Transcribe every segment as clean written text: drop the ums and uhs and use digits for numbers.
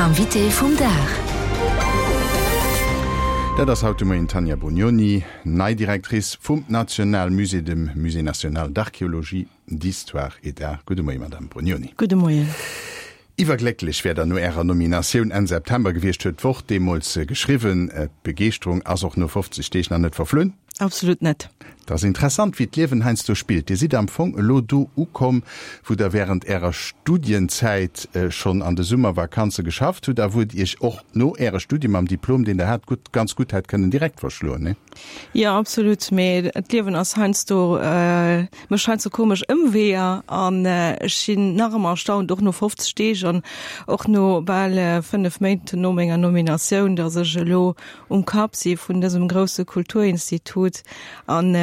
Invité vum Dag. Dat ass haut de Moien d'Tanja Brugnoni, nei Directrice vum Nationalmusée, dem Musée national d'archéologie, d'histoire et d'art. Gudde Moien, Madame Brugnoni. Gudde Moien. Iwwerglécklech wäert Der no Ärer Nominatioun Enn September gewiescht, huet d'Wort deemools geschriwwen. D'Begeeschterung ass och no 50 Deeg nach net verflunn? Absolut net. Et ass interessant, wéi d'Liewen heiansdo spillt. Dir sidd am Fong elo do ukomm, wou Der während Ärer Studienzäit schonn an de Summervakanze geschafft hutt a wou et Iech och no Äre Studie mam Diplom, deen Der hat, gutt, ganz gutt hätt kënnen direkt verschloen, nee? Jo, absolut. Mee d'Liewen ass heiansdo, mécht heiansdo komesch Ëmweeër an ech sinn nach ëmmer erstaunt, och no 50 Deeg an och no bal 5 Méint no menger Nominatioun, datt ech elo um Kapp si vun dësem grousse Kulturinstitut an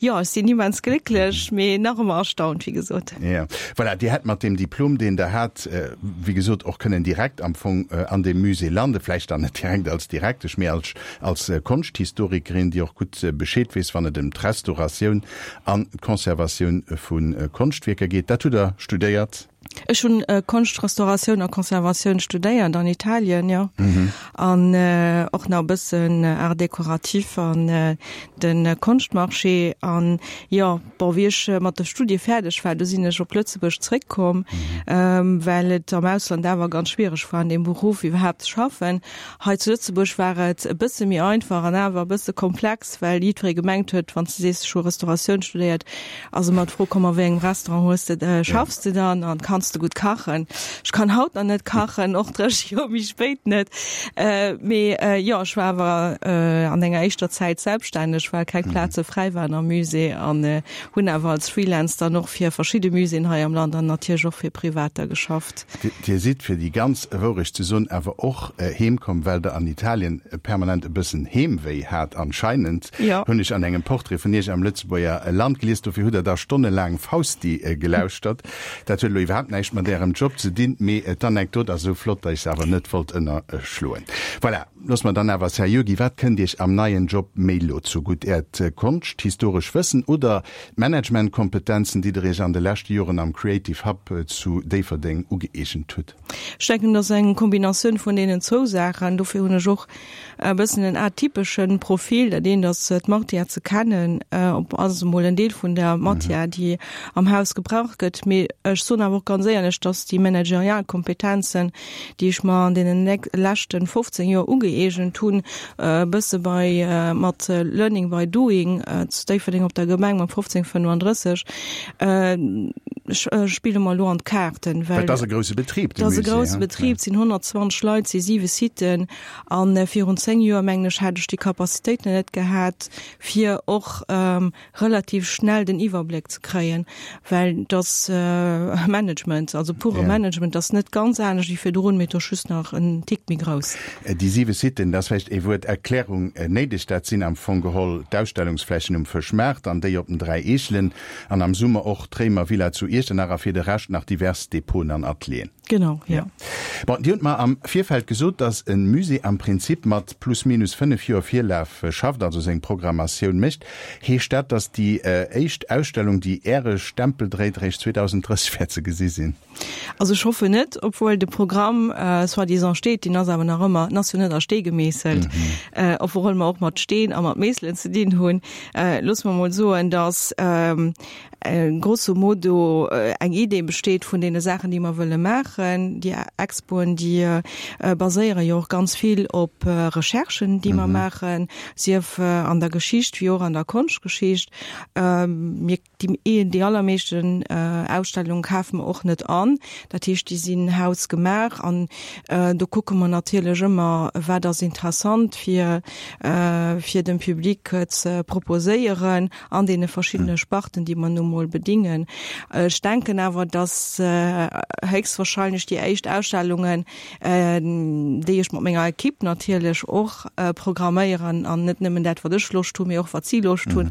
jo, ech sinn immens glécklech, mee nach ëmmer erstaunt, wéi gesot. Jo, voilà, Dir hätt mat deem Diplom, deen Der hat, wéi gesot, och kënnen direkt am Fong an deem Musée landen, vläicht dann net direkt als Direktesch, mee als als Konschthistorikerin, déi och gutt Bescheed weess, wann et ëm d'Restauratioun an d'Conservatioun vu Konschtwierker geet. Dat hutt Der studéiert? Ech hunn Konschtrestauratioun a Conservatioun studéiert an Italien, jo. An och nach e bëssen Arts décoratifs an de Konschtmarché. An jo, bon, wéi ech mat de Studie fäerdeg war, du sinn ech op Lëtzebuerg zréckkomm, well et am Ausland awer ganz schwiereg war, an deem Beruff iwwerhaapt ze schaffen. Hei zu Lëtzebuerg war et e bësse méi einfach an awer e bësse komplex, well jiddweree gemengt huet, wann s de sees, ech hu Restauratioun studéiert, ass ëmmer d'Fro komm, a wéi engem Restaurant hues de, schaffs de dann an kanns de gutt kachen? Ech kann haut nach net kachen, och 30 Joer méi spéit net. Mee jo, ech war awer an enger éischter Zäit selbststänneg, well keng Plaze fräi waren am Musée an hunn awer als Freelance dann och fir verschidde Muséeën hei am Land an natierlech och fir Privater geschafft. Dir sidd, fir déi ganz Wourecht ze soen, awer och heem komm, well Der an Italien permanent e bëssen Heemwéi hat anscheinend, hunn ech an engem Portrait vun Iech am Lëtzebuerger Land gelies. Dofir hutt Der da stonnelaang Fausti gelauschtert. Dat huet elo iwwerhaapt näischt mat Ärem Job ze dinn, mee d'Anekdot ass esou flott, datt ech se awer net wollt ënnerschloen. Voilà, loosse mer dann awer seriö ginn. Wat kënnt Iech am neien Job méi elo zugutt, Äert konschthistoresch Wëssen oder D'Managementkompetenzen, déi der Iech an de leschte Joren am Creative Hub zu Déifferdeng ugëeegent hutt? Ech denken, et ass eng Kombinatioun vun deenen zwou Saachen. Dofir hunn ech och e bëssen en atypesche Profil. Dat eent ass d'Matière ze kennen, op ass emol en Deel vun der Matière, déi am Haus gebraucht gëtt. Mee ech soen awer och ganz éierlech, dass déi managerial Kompetenzen, déi ech mer an deenen leschten 15 Joer ugëeegent hunn, e bësse bei mat Learning by Doing zu Déifferdeng op der Gemeng mam 1535, spille mer elo an d'Kaarten, well Dat ass e grousse Betrib, de Musée. Dat ass e grousse Betrib, et sinn 120 Leit, et si siwe Siten a virun 10 Joer, mengen ech, hätt ech déi Capacitéiten net gehat, fir och relativ schnell den Iwwerbléck ze kréien, well et ass Management, also pure Management, ass net ganz anescht wéi virdrun, mee et ass just nach en Tick méi grouss. Déi siwe Siten, da ass vläicht ee Wuert Erklärung néideg, dat sinn am Fong geholl d'Ausstellungsflächen um Fëschmaart an déi op den 3 Eechelen an am Summer och d'Réimervilla zu Iechternach a fir de Rescht nach divers Depoten an Atelieren. Genau, jo. Bon, Dir hutt mer am Virfeld gesot, dass e Musée am Prinzip mat plus minus 5 Joer Virlaf schafft, also seng Programmatioun mécht. Heescht dat, dass déi éischt Ausstellung, déi Äre Stempel dréit, eréischt 2030 wäert ze gesi sinn? Also ech hoffen net, obwuel de Programm soi-disant steet, deen ass awer nach ëmmer, en ass jo net a Stee gemeesselt, obwuel mer och mat Steen a mat Meesselen ze dinn hunn. Loosse mer emol soen, dass grosso modo eng Idee besteet vun deene Saachen, déi mer wëlle maachen. Déi Expoen, déi baséiere jo och ganz vill op Recherchen, déi mer maachen, sief an der Geschicht wéi och an der Konschtgeschicht. Mir, déi, déi allermeeschten Ausstellunge kafe mer och net an. Dat heescht, déi sinn hausgemaach an do kucke mer natierlech ëmmer, wat ass interessant fir, fir dem Public ze proposéieren. an deene verschiddene Sparten, déi mer nu mol bedingen. Ech denken awer, dass héchstwahrscheinlech déi éischt Ausstellungen, déi ech mat menger Equipe natierlech och programméieren, an net nëmmen dat, wat ech Loscht hunn, mee och wat si Loscht hunn,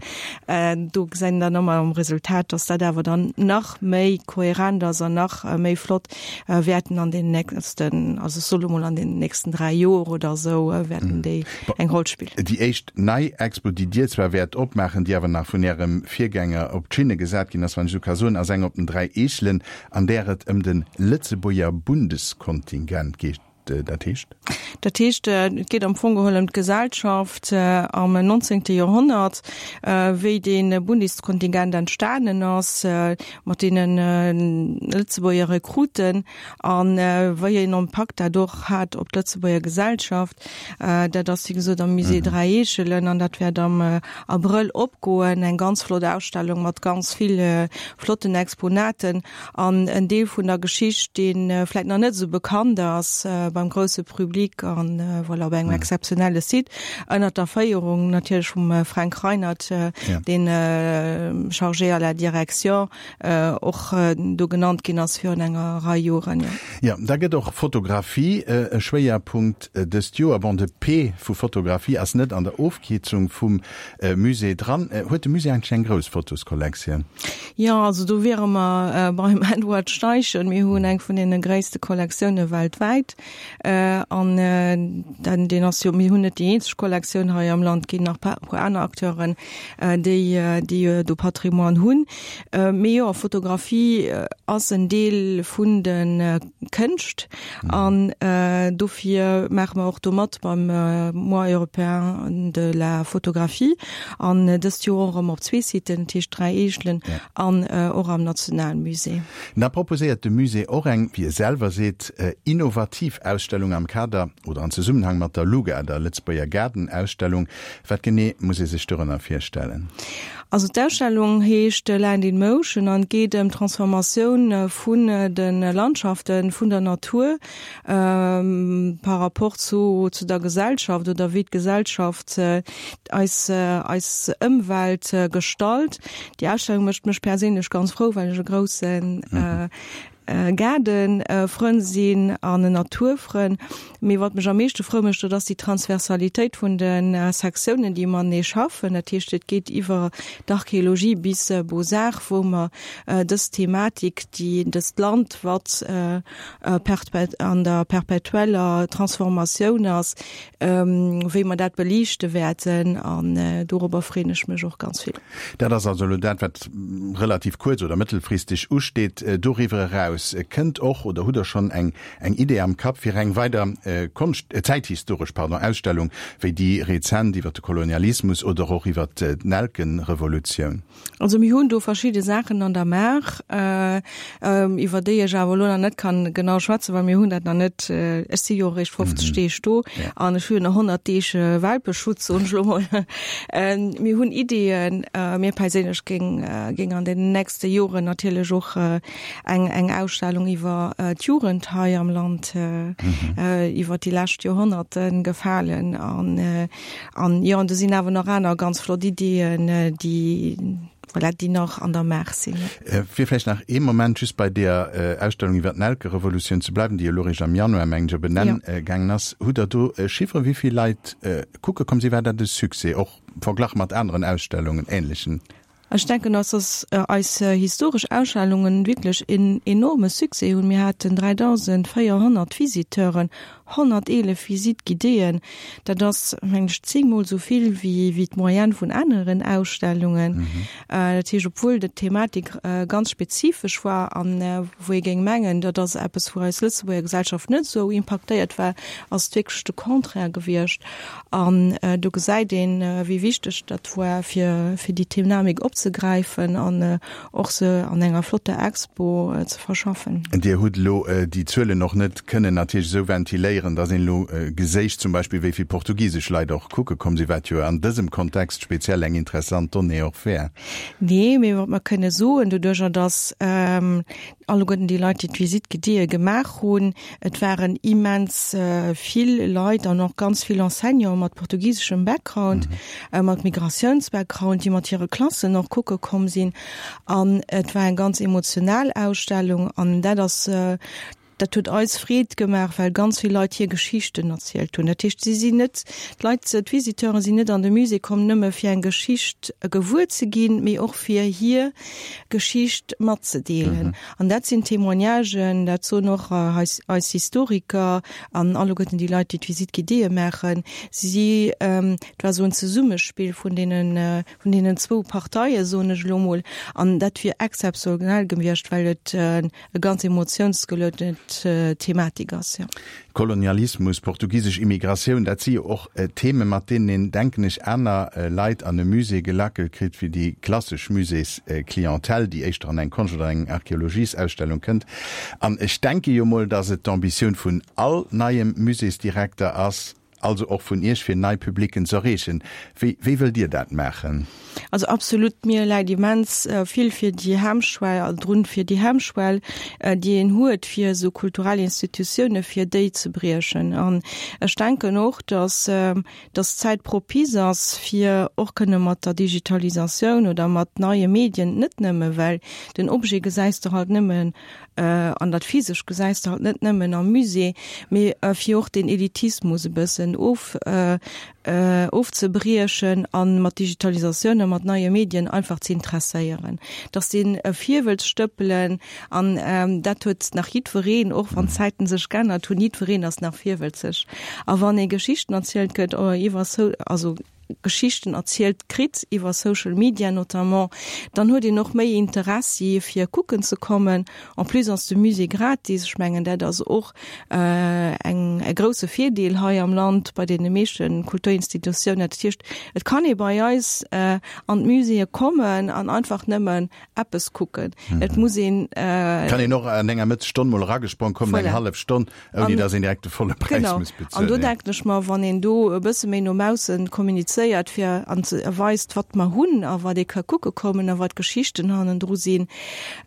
do gesäit een dann ëmmer am Resultat, dass dat awer dann nach méi kohärent ass an nach méi flott wäerten an den nächsten, also ech soe lo mol an den nächsten 3 Joer oder esou, wäerten déi eng Roll spillen. Déi éischt nei Expo, déi Dir zwar wäert opmaachen, déi awer nach vun Ärem Virgänger op d'Schinne gesat ginn ass, wann ech esou ka soen, ass eng op den 3 Eechelen, an där et ëm de Lëtzebuerger Bundeskontingent geet. dat heescht? Dat heescht, et geet am Fong geholl ëm d'Gesellschaft am 19. Joerhonnert, wéi dee Bundeskontingent entstanen ass, mat deene Lëtzebuerger Rekruten a wéi een Impakt dat och hat op d'Lëtzebuerger Gesellschaft. Dat ass, wéi gesot, am Musée Dräi Eechelen an dat wäert am Abrëll opgoen. Eng ganz flott Ausstellung mat ganz vill flotten Exponaten. An en Deel vun der Geschicht, dee vläit nach net esou bekannt ass beim grousse Public an voilà, op engem exzeptionelle Site, ënnert der Féierung natierlech vum Fränk Reinert, deen Chargé à la direction och do genannt ginn ass virun enger Rei Joren. Jo, da gëtt och Fotografie e Schwéierpunkt dëst Joer. Bon, de P vu Fotografie ass net an der Ofkierzung vum Musée dran. Huet de Musée eigentlech eng grouss Fotoskollektioun? Jo, also do wiere mer beim Edward Steichen. Mir hunn eng vun deene gréisste Kollektioune weltwäit. An deen ass jo, mir hunn net déi eenzeg Kollektioun hei am Land, et ginn nach e puer aner Acteuren, déi déi do Patrimoine hunn. Mee jo, Fotografie ass en Deel vun de Kënscht an dofir maache mer och do mat beim Mois européen de la photographie an dëst Joer och erëm op zwee Siten, dat heescht Dräi Eechelen an och am Nationalmusée. Da proposéiert de Musée och eng, wéi e selwer seet, innovativ Ausstellung am Kader oder an Zesummenhang mat der LUGA, der Lëtzebuerger Gaardenausstellung. Wat genee muss ee sech dorënner virstellen? Also d'Ausstellung heescht Land in Motion an geet ëm d'Transformatioun vun de Landschaften, vun der Natur par rapport zu zu der Gesellschaft oder wéi d'Gesellschaft eis eis Ëmwelt gestalt. Déi Ausstellung mécht mech perséinlech ganz frou, well ech e groussen Gaardenfrënn sinn an en Naturfrënn. Mee wat mech am meeschte frou mécht, dat ass déi Transversalitéit vun de Sektiounen, déi matenee schaffen. Dat heescht, et geet iwwer d'Archéologie bis Beaux-Arts, wou mer dës Thematik, déi dëst Land, wat an der perpetueller Transformatioun ass, wéi mer dat beliichte wäerten. An dorobber freeën ech mech och ganz vill. Dat ass also elo dat, wat relativ kuerz oder mëttelfristeg usteet. Doriwwer eraus kënnt och, oder hutt Der schonn eng eng Idee am Kapp fir eng weider Konscht, zäithistoresch, pardon, Ausstellung wéi déi rezent iwwer de Kolonialismus oder och iwwer d'Nelkenrevolutioun? Also mir hunn do verschidde Saachen an der Maach, iwwer déi ech awer elo nach net kann genau schwätzen, well mir hunn dat nach net, ech si jo eréischt 50 Deeg do an ech hu jo nach 100 Deeg Welpeschutz, soen ech elo mol. Mir hunn Ideeën, mir perséinlech géing géing an den nächste Joren natierlech och eng eng Ausstellung iwwer d'Jugend hei am Land iwwer déi lescht Joerhonnerte gefalen an An jo, an do sinn awer nach aner ganz flott Ideeën, déi, voilà, déi nach an der Maach sinn. Fir vläicht nach ee Moment just bei deeër Ausstellung iwwer d'Nelkerevolutioun ze bleiwen, déi elo eréischt am Januar, mengen ech, op en Enn gaangen ass. Hutt Der do Chifferen, wéi vill Leit kucke komm sinn? War dat e Succès, och verglach mat aneren Ausstellungen, ähnlechen? Ech denken, dass dass eis historesch Ausstellungen wierklech en enorme Succès hunn. Mir haten 3.400 Visiteuren, 111 Visites guidéeën. Dat ass, mengen ech, zéngmol esou vill wéi wéi d'Moyenne vun aneren Ausstellungen. Dat heescht, obwuel d'Thematik ganz spezifesch war an wou ee géing mengen, dat ass eppes, wou eis Lëtzebuerger Gesellschaft net esou impaktéiert war, ass et wierklech de Contraire gewiescht. An do gesäit een, wéi wichteg dat war, fir fir déi Themamik opzegräifen an och se an enger flotter Expo ze verschaffen. Dir hutt elo déi Zuelen och net kënnen natierlech esou ventiléieren, datt een elo geséich zum Beispill, wéi vill portugisesch Leit och kucke komm sinn, wat jo an dësem Kontext speziell eng interessant Donnée och wär. Nee, mee wat mer kënne soen, doduerjer datt alleguerten déi Leit, déi d'Visite guidée gemaach hunn, et waren immens vill Leit an och ganz vill Enseignanten mat portugiseschem Background, mat Migratiounsbackground, déi mat hire Klassen och kucke komm sinn. An et war eng ganz emotional Ausstellung an dat ass, dat huet eis Freed gemaach, well ganz vill Leit hir Geschichten erzielt hunn. Dat heescht, si sinn net, d'Leit, d'Visiteure sinn net an de Musée komm nëmme fir eng Geschicht gewuer ze ginn, mee och fir hir Geschicht matzedeelen. An dat sinn Témoignagen, dat soen och eis, eis Historiker an alleguerten déi Leit, déi d'Visite guidéeë maachen. Si, et war esou en Zesummespill vun deenen, vun deenen zwou Parteien, soen ech elo mol. An dat wier exzeptionell gewiescht, well et e ganz emotiounsgeluedene. d'Haaptthematik ass, jo. Kolonialismus, portugisesch Immigratioun, dat si jo och Themen, mat deenen een, denken ech, aner Leit an e Musée gelackelt kritt wéi déi klassesch Muséesclientèle, déi éischter an eng Konscht oder eng Archeologiesausstellung kënnt. An ech denke jo mol, datt et d'Ambitioun vun all neiem Muséesdirekter ass, also och vun Iech, fir nei Publicken z'erreechen. Wéi, wéi wëllt Dir dat maachen? Also absolut, mir läit immens vill fir déi Hemmschwell, drun, fir déi Hemmschwell, déi een huet fir esou kulturell Institutioune fir déi ze briechen. An ech denken och, datt, datt d'Zäit propice ass, fir och kënne mat der Digitalisatioun oder mat neie Medien, net nëmme well den Objet gesäis de halt nëmmen An dat Physesch gesäis de halt net nëmmen am Musée, mee fir och deen Elitismus e bëssen of ofzebriechen a mat Digitalisatioun a mat neie Medien einfach ze interesséieren. Dass dee Virwëlz stëppelen an dat huet nach jiddwereen, och wann d'Zäiten sech geännert hunn, jiddwereen ass nach virwëlzeg. A wann ee Geschichten erzielt gëtt iwwer also Geschichten erzielt kritt, iwwer Social Media notamment, dann huet een och méi Interessi fir kucken ze kommen. En plus ass de Musée gratis. Ech mengen dat ass och eng e grousse Virdeel hei am Land bei deene meeschte Kulturinstitutiounen. Dat heescht, et kann ee bei eis an d'Muséeë kommen an einfach nëmmen eppes kucken. Et muss een. Kann een och an enger Mëttesstonn mol eragesprong kommen, eng hallef Stonn. Ouni dass een direkt de volle Präis genau. muss bezuelen. An do denken ech mer, wann een do e bësse méi no maussen kommunizéiert, fir an ze weist, wat mer hunn a wat ee ka kucke kommen a wat d'Geschichten hannendru sinn,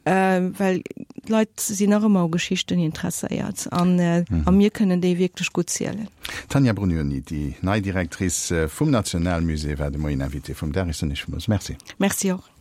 äh, well d'Leit sinn nach ëmmer u Geschichten interesséiert an, äh, mhm. a mir kënnen déi wierklech gutt zielen. Tanja Brugnoni, déi nei Directrice vum Nationalmusée, war de Moien Invité vum Dag. Ech soen Iech villmools Merci. Merci och.